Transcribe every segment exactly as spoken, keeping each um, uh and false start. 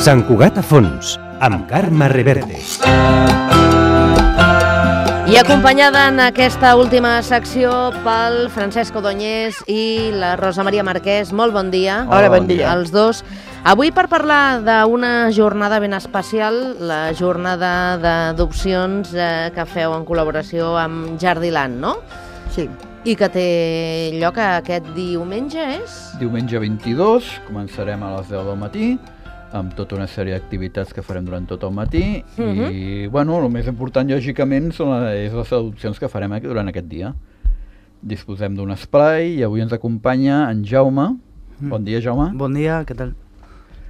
Sant Cugat a fons, amb Carme Reverte. I acompanyada en aquesta última secció pel Francesc Ordóñez i la Rosa Maria Marquès. Molt bon dia. Hola, bon dia. Els dos. Avui per parlar d'una jornada ben especial, la jornada d'adopcions eh, que feu en col·laboració amb Jardiland, no? Sí. I que té lloc aquest diumenge, és? Diumenge vint-i-dos, començarem a les deu del matí, amb tota una sèrie d'activitats que farem durant tot el matí, uh -huh. i, bueno, el més important, lògicament, són les, les adopcions que farem aquí, durant aquest dia. Disposem d'un esplai i avui ens acompanya en Jaume. Mm. Bon dia, Jaume. Bon dia, què tal?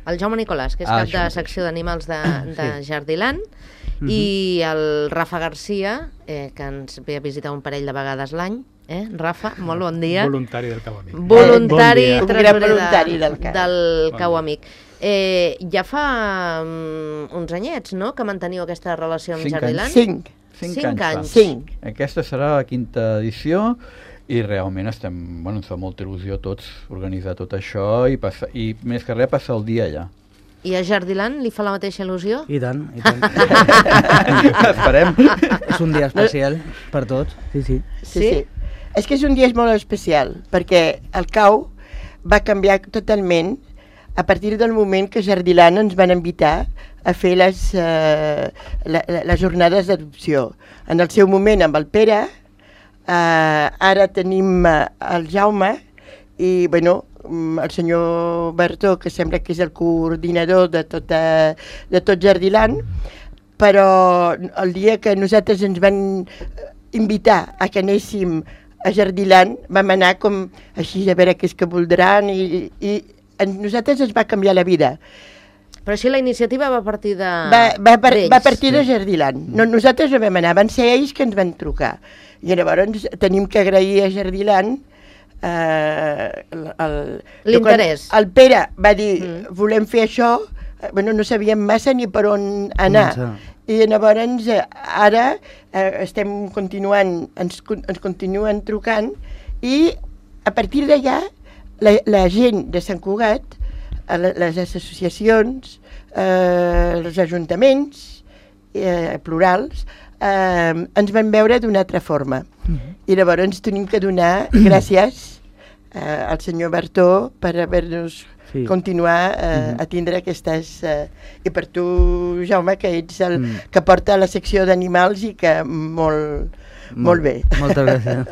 El Jaume Nicolàs, que és ah, cap de secció d'animals de, de sí. Jardiland, uh -huh. i el Rafa Garcia, eh, que ens ve a visitar un parell de vegades l'any. Eh, Rafa, molt bon dia. Voluntari del Cau Amic. Voluntari, eh, bon tresorer voluntari de, del Cau, del bon Cau Amic. Eh, ja fa um, uns anyets, no?, que manteniu aquesta relació amb Cinc Jardiland? anys. Cinc. Cinc, Cinc anys. anys. Cinc. Aquesta serà la quinta edició i realment estem, bueno, ens fa molta il·lusió a tots organitzar tot això i, passar, i més que res passar el dia allà. I a Jardiland li fa la mateixa il·lusió? I tant, i tant. Esperem. És un dia especial per tots, sí, sí. Sí, sí. sí. És que és un dia molt especial, perquè el Cau va canviar totalment a partir del moment que Jardiland ens van invitar a fer les, uh, la, la, les jornades d'adopció. En el seu moment amb el Pere, uh, ara tenim uh, el Jaume i, bueno, el senyor Bertó, que sembla que és el coordinador de, tota, de tot Jardiland, però el dia que nosaltres ens van invitar a que anéssim a Jardiland vam anar com així a veure què és que voldran i, i a nosaltres ens va canviar la vida. Però així la iniciativa va partir de va, va, par d'ells. va partir de Jardiland. No, nosaltres no vam anar, van ser ells que ens van trucar. I llavors tenim que agrair a Jardiland eh, l'interès. El Pere va dir, mm. volem fer això, bueno, no sabíem massa ni per on anar. Mm. I llavors ara eh, estem continuant, ens, ens continuen trucant i a partir d'allà la, la gent de Sant Cugat, les associacions, eh, els ajuntaments eh, plurals, eh, ens van veure d'una altra forma. Mm-hmm. I llavors tenim que donar gràcies eh, al senyor Bertó per haver-nos sí. continuar eh, mm-hmm. a tindre aquestes... Eh, I per tu, Jaume, que ets el mm. que porta la secció d'animals i que molt, molt, molt bé. Moltes gràcies.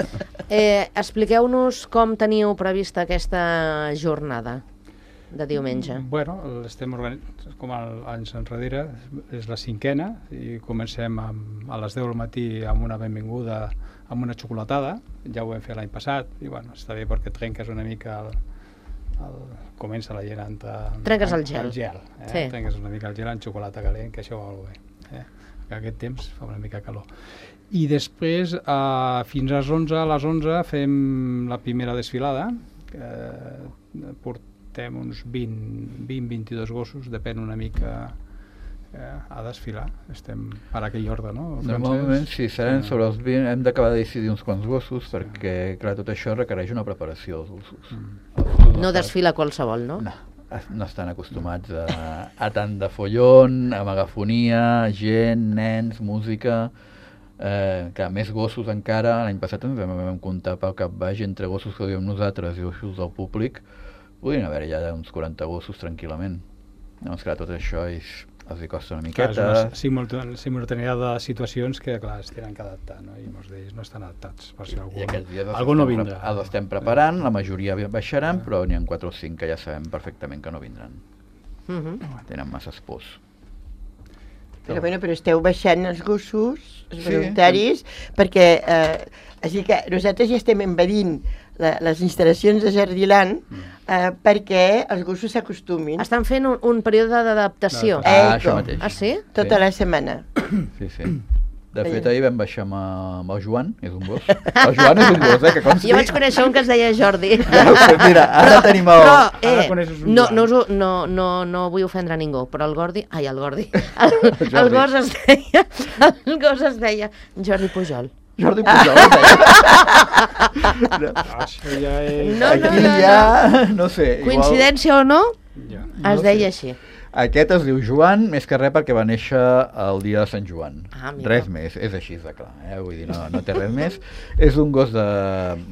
Eh, expliqueu-nos com teniu prevista aquesta jornada de diumenge. Bueno, estem organitzant, com el, anys enrere, és la cinquena, i comencem amb, a les deu del matí amb una benvinguda, amb una xocolatada, ja ho vam fer l'any passat, i bueno, està bé perquè trenques una mica el, el, comença la gent a... Trenques el gel. El gel, eh? Sí. Trenques una mica el gel amb xocolata calent, que això va molt bé. Eh? Que aquest temps fa una mica calor. I després, eh, fins a les onze, a les onze fem la primera desfilada, eh, portem uns vint a vint-i-dos gossos, depèn una mica eh, a desfilar. Estem per aquell ordre, no? Normalment, sí, seran sobre els vint, hem d'acabar de decidir uns quants gossos, sí. perquè, clar, tot això requereix una preparació dels gossos. Mm. No desfila qualsevol, no? No, no estan acostumats a, a tant de follon, a megafonia, gent, nens, música... Eh, clar, més gossos encara. L'any passat ens vam, vam comptar pel cap baix entre gossos que diem nosaltres i gossos del públic, podrien haver ja uns quaranta gossos tranquil·lament. Llavors, clar, tot això és, els hi costa una miqueta. Clar, és una simultaneïtat de situacions que, clar, es tenen que adaptar, no? I molts d'ells no estan adaptats, per si algú, algú no vindrà. Els estem preparant, la majoria baixaran, però n'hi ha quatre o cinc que ja sabem perfectament que no vindran. Uh-huh. Tenen masses pors. Però, bueno, però esteu baixant els gossos, els voluntaris, sí. perquè eh, així que nosaltres ja estem envadint la, les instal·lacions de Jardiland eh, perquè els gossos s'acostumin. Estan fent un, un període d'adaptació. No, ah, això mateix. Ah, sí? Tota sí. la setmana. Sí, sí. De fet, ahir vam baixar amb, amb el Joan, és un gos. El Joan és un gos, eh, que consti. Jo vaig conèixer un que es deia Jordi. Ja, mira, ara però, tenim el... Però, eh, no, no, no, no, no vull ofendre a ningú, però el Gordi... Ai, el Gordi. El, el, el gos es deia... El gos es deia Jordi Pujol. Jordi Pujol, es deia. No, això ja és... No, no, Aquí no, ja... No sé, coincidència igual... o no, ja. es no deia sé. així. Aquest es diu Joan, més que res perquè va néixer el dia de Sant Joan. Ah, mira. Res més, és així de clar, eh? Vull dir, no, no té res més. És un gos de,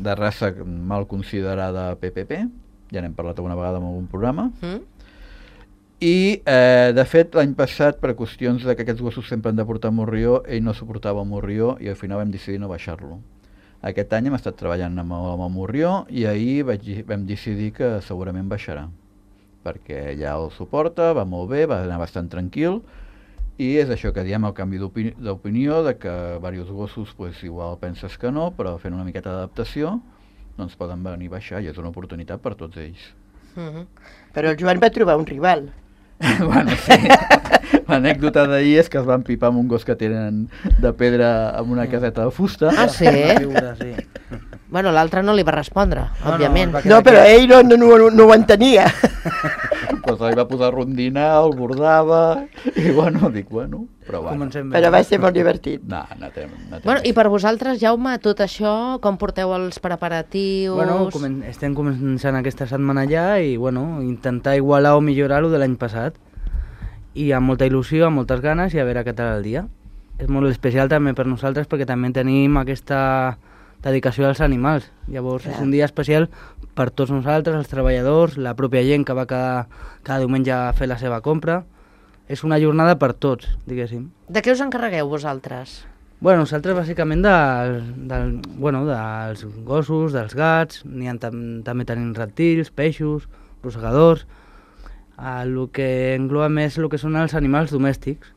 de raça mal considerada P P P, ja n'hem parlat alguna vegada en algun programa, Mm? i eh, de fet l'any passat, per qüestions de que aquests gossos sempre han de portar morrió, ell no suportava el morrió i al final vam decidir no baixar-lo. Aquest any hem estat treballant amb el, amb el morrió i ahir vaig, vam decidir que segurament baixarà, perquè ja el suporta, va molt bé, va anar bastant tranquil, i és això que diem, el canvi d'opini d'opinió, de que diversos gossos pues, igual penses que no, però fent una miqueta d'adaptació doncs poden venir a baixar i és una oportunitat per tots ells. Mm-hmm. Però el Joan va trobar un rival. Bueno, sí. L'anècdota d'ahir és que es van pipar amb un gos que tenen de pedra amb una caseta de fusta. Ah, sí? Figura, sí. Bueno, l'altre no li va respondre, No, òbviament. no, va No, però ell no, no, no, no ho entenia. Doncs ell va posar a rondinar, el bordava, i bueno, dic, bueno, però bueno. Comencem bé. Però va ser molt divertit. No, no té, no té Bueno, i més. per vosaltres, Jaume, tot això, com porteu els preparatius? Bueno, comen estem començant aquesta setmana ja i bueno, intentar igualar o millorar-ho de l'any passat. I amb molta il·lusió, amb moltes ganes i a veure què tal el dia. És molt especial també per nosaltres perquè també tenim aquesta dedicació als animals. Llavors Clar. és un dia especial per tots nosaltres, els treballadors, la pròpia gent que va cada, cada diumenge a fer la seva compra. És una jornada per tots, diguéssim. De què us encarregueu vosaltres? Bueno, nosaltres bàsicament del, del, bueno, dels gossos, dels gats, n'hi ha tam també tenim reptils, peixos, rosegadors. El que engloba més el que són els animals domèstics,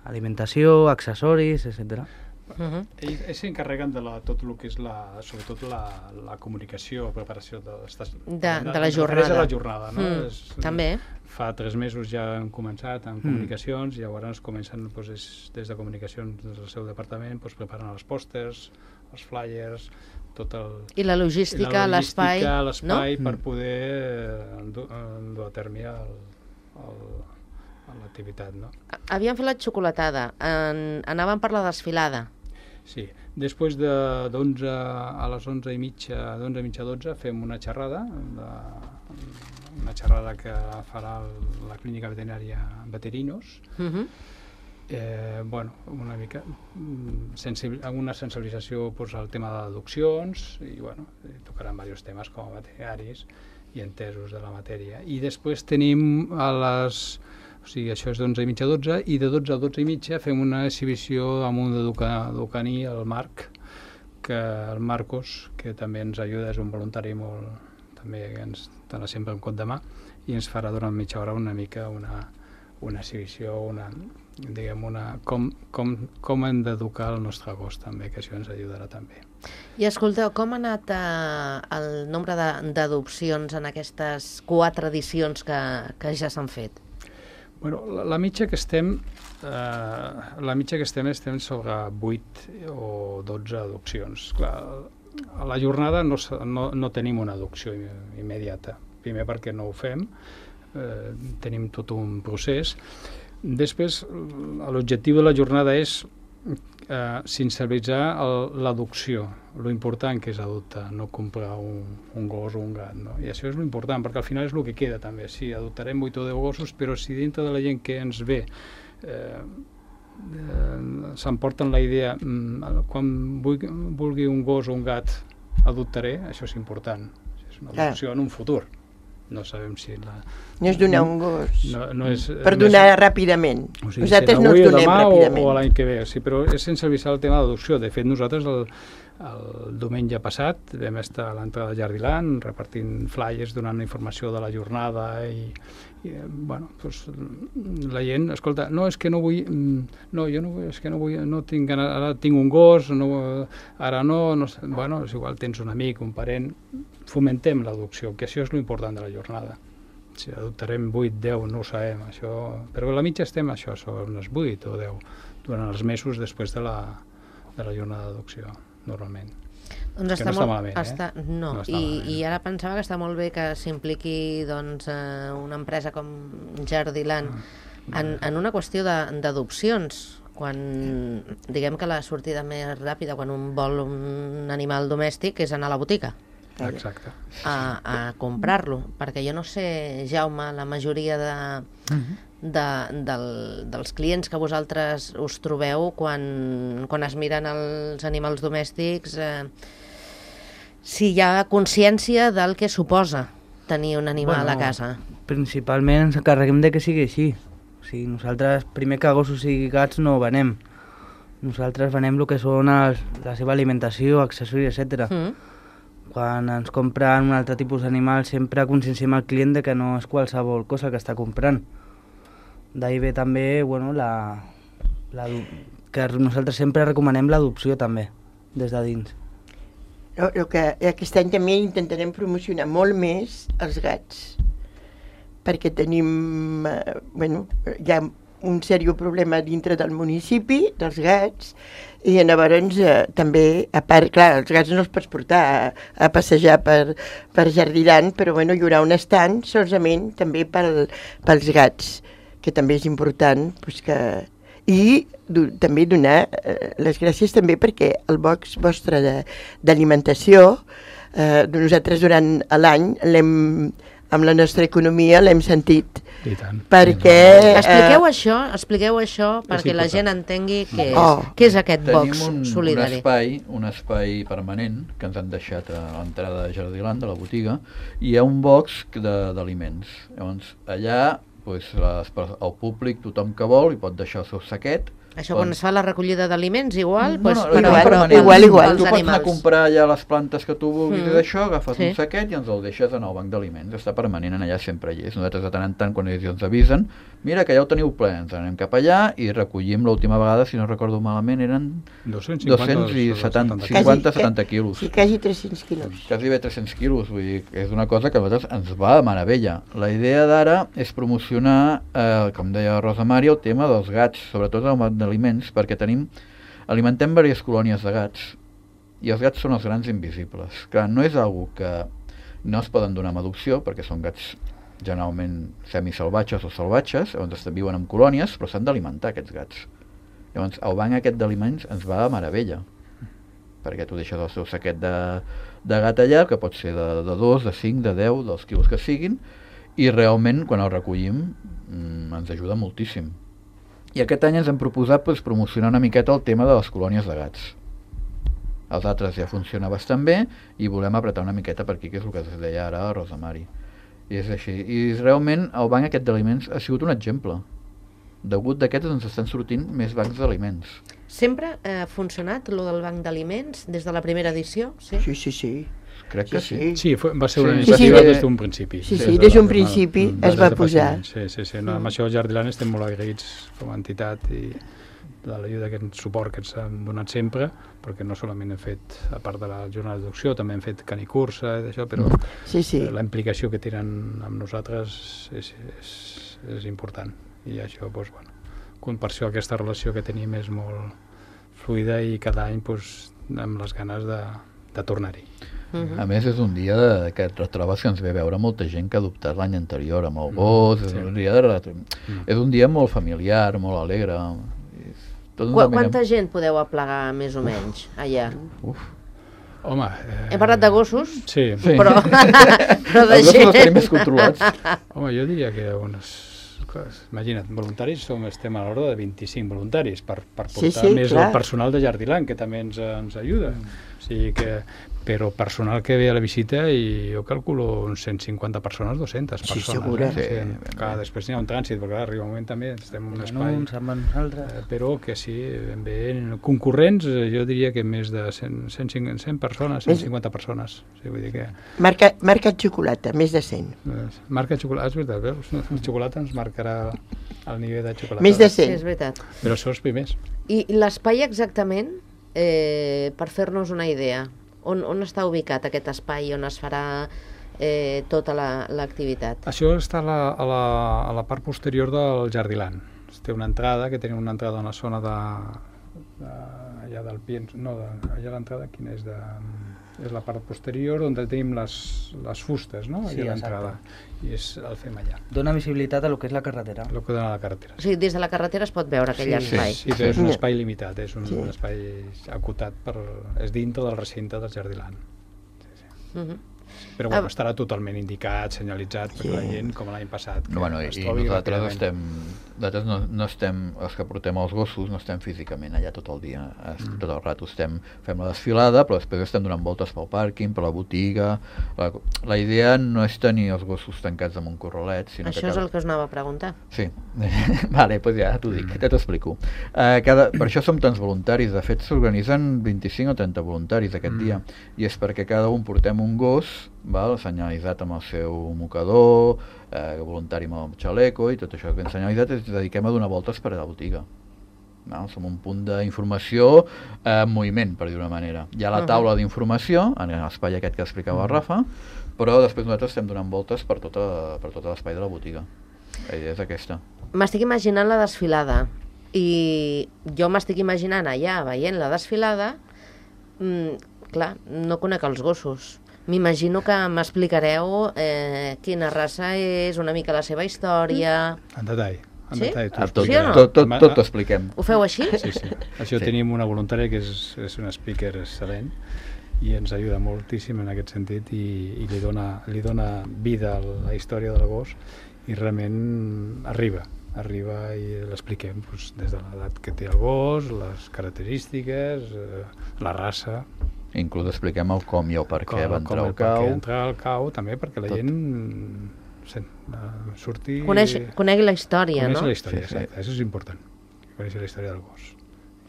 alimentació, accessoris, etcètera. Uh-huh. Ells, ells s'encarreguen de la, tot el que és la, sobretot la, la comunicació, preparació de, de, De, de la jornada. De la jornada, no? Mm, És, també. Fa tres mesos ja hem començat amb Mm. comunicacions i llavors comencen doncs, és, des de comunicacions del seu departament doncs, preparen els pòsters, els flyers, tot el... I la logística, l'espai, l'espai, no? l'espai per Mm. poder eh, endur, endur a terme el, el, l'activitat, no? Havíem fet la xocolatada, en, anàvem per la desfilada. Sí, després de d'onze a les onze i mitja, d'onze i mitja a dotze, fem una xerrada, de, una xerrada que farà el, la clínica veterinària Veterinos. Uh-huh. Eh, bueno, una mica mm, sensibil una sensibilització pues, al tema d'adopcions i bueno, tocaran diversos temes com a veterinaris i entesos de la matèria. I després tenim a les... O sigui, això és d'onze i mitja a dotze, i de dotze a dotze i mitja fem una exhibició amb un educaní, el Marc, que el Marcos, que també ens ajuda, és un voluntari molt... també ens dona sempre un cop de mà, i ens farà durant mitja hora una mica una, una exhibició, una, diguem, una, com, com, com hem d'educar el nostre gos també, que això ens ajudarà també. I escolteu, com ha anat eh, el nombre d'adopcions en aquestes quatre edicions que, que ja s'han fet? Bueno, la, la mitja que estem, eh, la mitja que estem estem sobre vuit o dotze adopcions. Clar, a la jornada no, no, no tenim una adopció immediata. Primer perquè no ho fem, eh, tenim tot un procés. Després, l'objectiu de la jornada és eh, sensibilitzar l'adopció, lo important que és adoptar, no comprar un, un gos o un gat, no? I això és lo important, perquè al final és el que queda també. Sí, adoptarem vuit o deu gossos, però si dintre de la gent que ens ve eh, eh, s'emporten la idea mm, quan vulgui, vulgui un gos o un gat adoptaré, això és important. És una adopció en un futur. No sabem si la... No és donar un gos. No, no és, Per no donar és, ràpidament. o sigui, Nosaltres si no avui els o donem demà ràpidament. O, o l'any que ve, sí, però és sense avisar el tema d'adopció. De fet, nosaltres el, el diumenge passat vam estar a l'entrada de Jardiland repartint flyers, donant informació de la jornada i, i bueno, doncs, la gent, escolta, no, és que no vull, no, jo no vull, és que no vull, no tinc ganes, ara tinc un gos, no, ara no, no sé, bueno, és igual, tens un amic, un parent, fomentem l'adopció, que això és l'important de la jornada. Si adoptarem vuit, deu, no ho sabem, això... Però a la mitja estem això, són unes vuit o deu, durant els mesos després de la, de la jornada d'adopció, normalment. Doncs Que no està malament, eh? està, no, No està I, malament. i ara pensava que està molt bé que s'impliqui doncs, eh, una empresa com Jardiland Ah, en, en una qüestió de- d'adopcions, quan diguem que la sortida més ràpida quan un vol un animal domèstic és anar a la botiga Exacte. a, a comprar-lo, perquè jo no sé, Jaume, la majoria de, de, del, dels clients que vosaltres us trobeu quan, quan es miren els animals domèstics, eh, si hi ha consciència del que suposa tenir un animal Bueno, a casa. Principalment ens encarreguem de que sigui així. O sigui, nosaltres, primer que gossos i gats no venem. Nosaltres venem el que són els, la seva alimentació, accessoris, etcètera. Mm. Quan ens compren un altre tipus d'animal sempre conscienciem al client de que no és qualsevol cosa que està comprant. D'ahir ve també, bueno, la, la, que nosaltres sempre recomanem l'adopció també, des de dins. El, el que aquest any també intentarem promocionar molt més els gats, perquè tenim, eh, bueno, hi ha un seriós problema dintre del municipi, dels gats, i llavors eh, també, a part, clar, els gats no els pots portar a, a passejar per, per Jardiland, però bueno, hi haurà un estand solament també pel, pels gats, que també és important, pues que... i do, també donar eh, les gràcies també perquè el box vostre d'alimentació, eh, nosaltres durant l'any l'hem, amb la nostra economia l'hem sentit. I tant. Perquè... Expliqueu eh, això, expliqueu això perquè la gent entengui què és, Oh. què és aquest Tenim box un, un solidari. espai, un espai permanent que ens han deixat a l'entrada de Jardiland, de la botiga, i hi ha un box de- d'aliments. Llavors, allà pues, les, el públic, tothom que vol, hi pot deixar el seu saquet. Això quan es fa la recollida d'aliments, igual, No, pues, no, però, igual, però, no, igual, igual. Tu pels pots anar a animals. comprar ja les plantes que tu vulguis Mm. i d'això, agafes Sí. un saquet i ens el deixes en el banc d'aliments. Està permanent, en allà sempre hi és. Nosaltres de tant en tant, quan ells ens avisen, mira que ja ho teniu ple, ens anem cap allà i recollim l'última vegada, si no recordo malament, eren dos-cents cinquanta, dos-cents i setanta, setanta. cinquanta setanta quilos. Sí, quasi tres-cents quilos. Quasi bé tres-cents quilos, vull dir, que és una cosa que a nosaltres ens va de meravella. La idea d'ara és promocionar, eh, com deia Rosa Mari, el tema dels gats, sobretot el banc d'aliments, perquè tenim, alimentem diverses colònies de gats, i els gats són els grans invisibles. Clar, no és algo que no es poden donar amb adopció, perquè són gats generalment semisalvatges o salvatges, llavors viuen en colònies, però s'han d'alimentar aquests gats. Llavors, el banc aquest d'aliments ens va de meravella, perquè tu deixes el seu saquet de, de gat allà, que pot ser de, de dos, de cinc, de deu, dels quilos que siguin, i realment, quan el recollim, mmm, ens ajuda moltíssim. I aquest any ens hem proposat pues, promocionar una miqueta el tema de les colònies de gats. Els altres ja funciona bastant bé i volem apretar una miqueta per aquí, que és el que es deia ara a Rosa Mari. I és així. I realment el banc aquest d'aliments ha sigut un exemple. Degut d'aquests ens estan sortint més bancs d'aliments. Sempre ha funcionat lo del banc d'aliments des de la primera edició? Sí. Sí, sí, sí. Crec que sí. Sí, fue, va ser una Sí. iniciativa Sí, sí, des d'un principi. sí, Des sí, de des d'un la- principi Mm, es des va de fa posar. cinc anys. Sí, sí, sí. No, amb això a Jardiland estem molt agraïts com a entitat i de l'ajuda, que el suport que ens han donat sempre, perquè no solament hem fet, a part de la jornada d'adopció, també hem fet canicursa i d'això, però Sí, sí. eh, la implicació que tenen amb nosaltres és, és, és important. I això, doncs, bueno, com per això aquesta relació que tenim és molt fluida i cada any doncs, amb les ganes de, de tornar-hi. Mhm. A més, és un dia de, que et retrobes que ens ve a veure molta gent que ha adoptat l'any anterior amb el gos, és, sí. un dia de retro... Mm. és un dia molt familiar, molt alegre. És... Tot Qu una Quanta mena- gent podeu aplegar, més o menys, allà? Uf. Home... Eh, Hem parlat de gossos, Sí. Sí. però, però de Els gossos els tenim gent... més controlats. Home, jo diria que unes... Imagina't, voluntaris som, estem a l'ordre de vint-i-cinc voluntaris per, per Sí, portar sí, més clar. el personal de Jardiland, que també ens, ens ajuda. O sigui que, però personal que ve a la visita, i jo calculo uns cent cinquanta persones, dues-centes Sí, persones. segura. Eh? Sí, Sí, ben clar, bé. després n'hi ha un trànsit, perquè clar, arriba un moment també estem en un espai... Bueno, uns amb els altres. Eh, però que sí, ben bé, concurrents, eh, jo diria que més de cent, cent, cinquanta, cent persones, cent cinquanta persones. O sigui, vull dir que... Marca, marca xocolata, més de cent. Eh, Marca xocolata, és veritat, veus? El xocolata ens marcarà el nivell de xocolata. Més de Sí, cent. és veritat. Però són els primers. I l'espai exactament, eh, per fer-nos una idea, on, on està ubicat aquest espai on es farà eh, tota la- l'activitat? Això està a la, a, la, a la part posterior del Jardiland. Té una entrada, que tenim una entrada en la zona de, de allà del Piens, no, de, allà l'entrada, quina és? De, és la part posterior on tenim les, les fustes, no? Sí, Allà l'entrada. I és, el fem allà, Dona visibilitat a lo que és la carretera. el que dona la carretera. O sigui, des de la carretera es pot veure aquell Sí, espai. sí, però és un espai limitat, és un, Sí. un espai acotat, per, és dintre del recinte del Jardiland. Mhm. Però bueno, estarà totalment indicat, senyalitzat, perquè la gent, com l'any passat, que bueno, es i trobi nosaltres ràpidament. estem, nosaltres no, no estem, els que portem els gossos, no estem físicament allà tot el dia, mm. tot el rato estem, fem la desfilada, però després estem donant voltes pel pàrquing, per la botiga. La, la idea no és tenir els gossos tancats en un corralet, sinó Això que és cada... el que us anava a preguntar. Sí, vale, doncs ja t'ho dic, ja t'ho explico. Uh, cada... Per això som tants voluntaris, de fet s'organitzen vint-i-cinc o trenta voluntaris aquest mm. dia, i és perquè cada un portem un gos, val, senyalitzat amb el seu mocador, eh, voluntari amb el xaleco i tot això ben senyalitzat, ens dediquem a donar voltes per a la botiga. No? Som un punt d'informació eh, en moviment, per dir una manera. Hi ha la taula d'informació, en l'espai aquest que explicava el Rafa, però després nosaltres estem donant voltes per tota, per tot l'espai de la botiga. La idea és aquesta. M'estic imaginant la desfilada i jo m'estic imaginant allà veient la desfilada, mm, clar, no conec els gossos. M'imagino que m'explicareu eh, quina raça és, una mica la seva història... En detall. En Sí? detall, Ah, tot, Sí o no? tot, tot, tot t'ho expliquem. Ho feu així? Sí, sí. Això Sí. tenim una voluntària que és, és una speaker excel·lent i ens ajuda moltíssim en aquest sentit i, i li, dona, li dona vida a la història del gos i realment arriba, arriba i l'expliquem doncs, des de l'edat que té el gos, les característiques, eh, la raça, Inclús expliquem el com i el per què com, va com entrar el al per què cau. entrar al cau, també perquè la Tot. gent sent, uh, surti... Coneix, conegui la història, coneix no? la història, Sí, sí. exacte, això és important, conèixer la història del gos.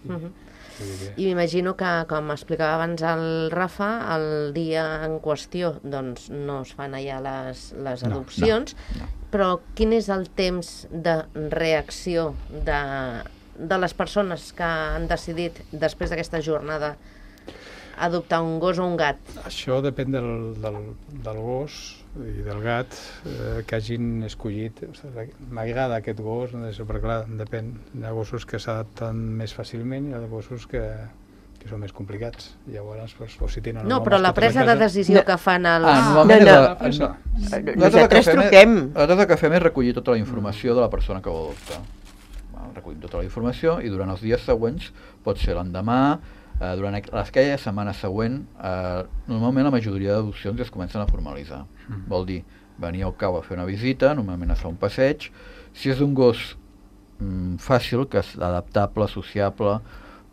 I, Mhm. vull dir que- I m'imagino que, com explicava abans el Rafa, el dia en qüestió doncs, no es fan allà les, les No, adopcions, no, no. però quin és el temps de reacció de, de les persones que han decidit, després d'aquesta jornada, adoptar un gos o un gat? Això depèn del, del, del gos i del gat eh, que hagin escollit. Ostres, m'agrada aquest gos, no sé, perquè clar, depèn. Hi ha gossos que s'adapten més fàcilment i hi ha gossos que, que són més complicats. Llavors, doncs, o si tenen No, una però la mascota presa a de casa- decisió que fan els... Ah, No, normalment no. és La presa. la- Nosaltres el que fem truquem. És, nosaltres el que fem és recollir tota la informació de la persona que vol adoptar. Val, recollim tota la informació i durant els dies següents, pot ser l'endemà, eh, durant aqu- aquella setmana següent, eh, normalment la majoria d'adopcions ja es comencen a formalitzar. Mm. Vol dir, venir al cau a fer una visita, normalment es fa un passeig. Si és un gos mm, fàcil, que és adaptable, sociable,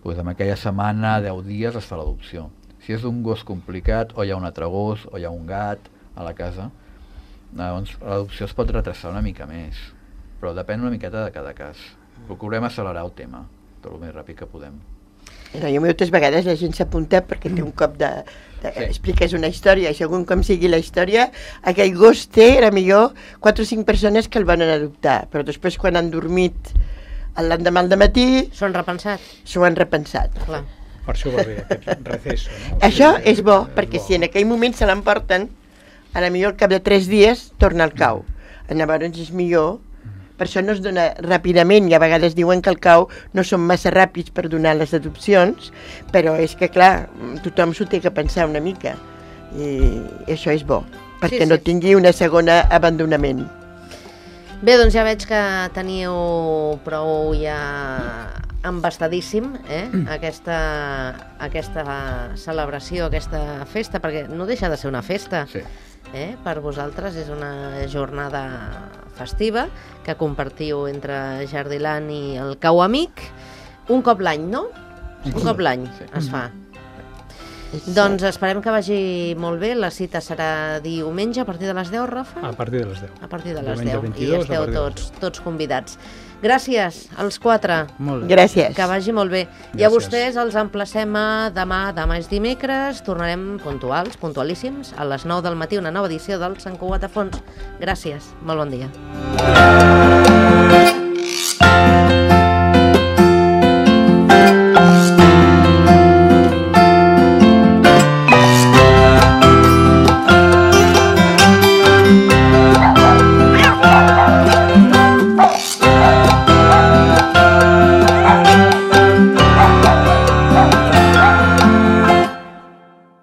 doncs en aquella setmana, deu dies, es fa l'adopció. Si és un gos complicat, o hi ha un altre gos, o hi ha un gat a la casa, doncs l'adopció es pot retrasar una mica més, però depèn una miqueta de cada cas. Procurem accelerar el tema, tot el més ràpid que podem. No, jo moltes vegades la gent s'apunta perquè té un cop de... de Sí. expliques una història i segons com sigui la història, aquell gos té, era millor, quatre o cinc persones que el van adoptar, però després quan han dormit l'endemà al matí S'ho han repensat? s'ho han repensat. Clar. Per això va bé aquest receso. No? Això és bo, És perquè bo. si en aquell moment se l'emporten, a la millor al cap de tres dies torna al cau. Llavors és millor, per això no es dona ràpidament, i a vegades diuen que el cau no són massa ràpids per donar les adopcions, però és que clar, tothom s'ho té que pensar una mica, i això és bo, perquè Sí, sí. no tingui una segona abandonament. Bé, doncs ja veig que teniu prou ja embastadíssim eh? aquesta, aquesta celebració, aquesta festa, perquè no deixa de ser una festa. Sí. Eh? Per vosaltres és una jornada festiva que compartiu entre Jardiland i el Cau Amic un cop l'any, no? Un cop l'any Sí. es fa. Doncs esperem que vagi molt bé. La cita serà diumenge a partir de les deu, Rafa? A partir de les deu. A partir de les Diumenge deu. vint-i-dos, I a esteu partir de les tots, tots convidats. Gràcies als quatre. Molt bé. Gràcies. Que vagi molt bé. I a Gràcies. vostès els emplacem a demà, demà és dimecres, tornarem puntuals, puntualíssims, a les nou del matí, una nova edició del Sant Cugat a Fons. Gràcies, molt bon dia.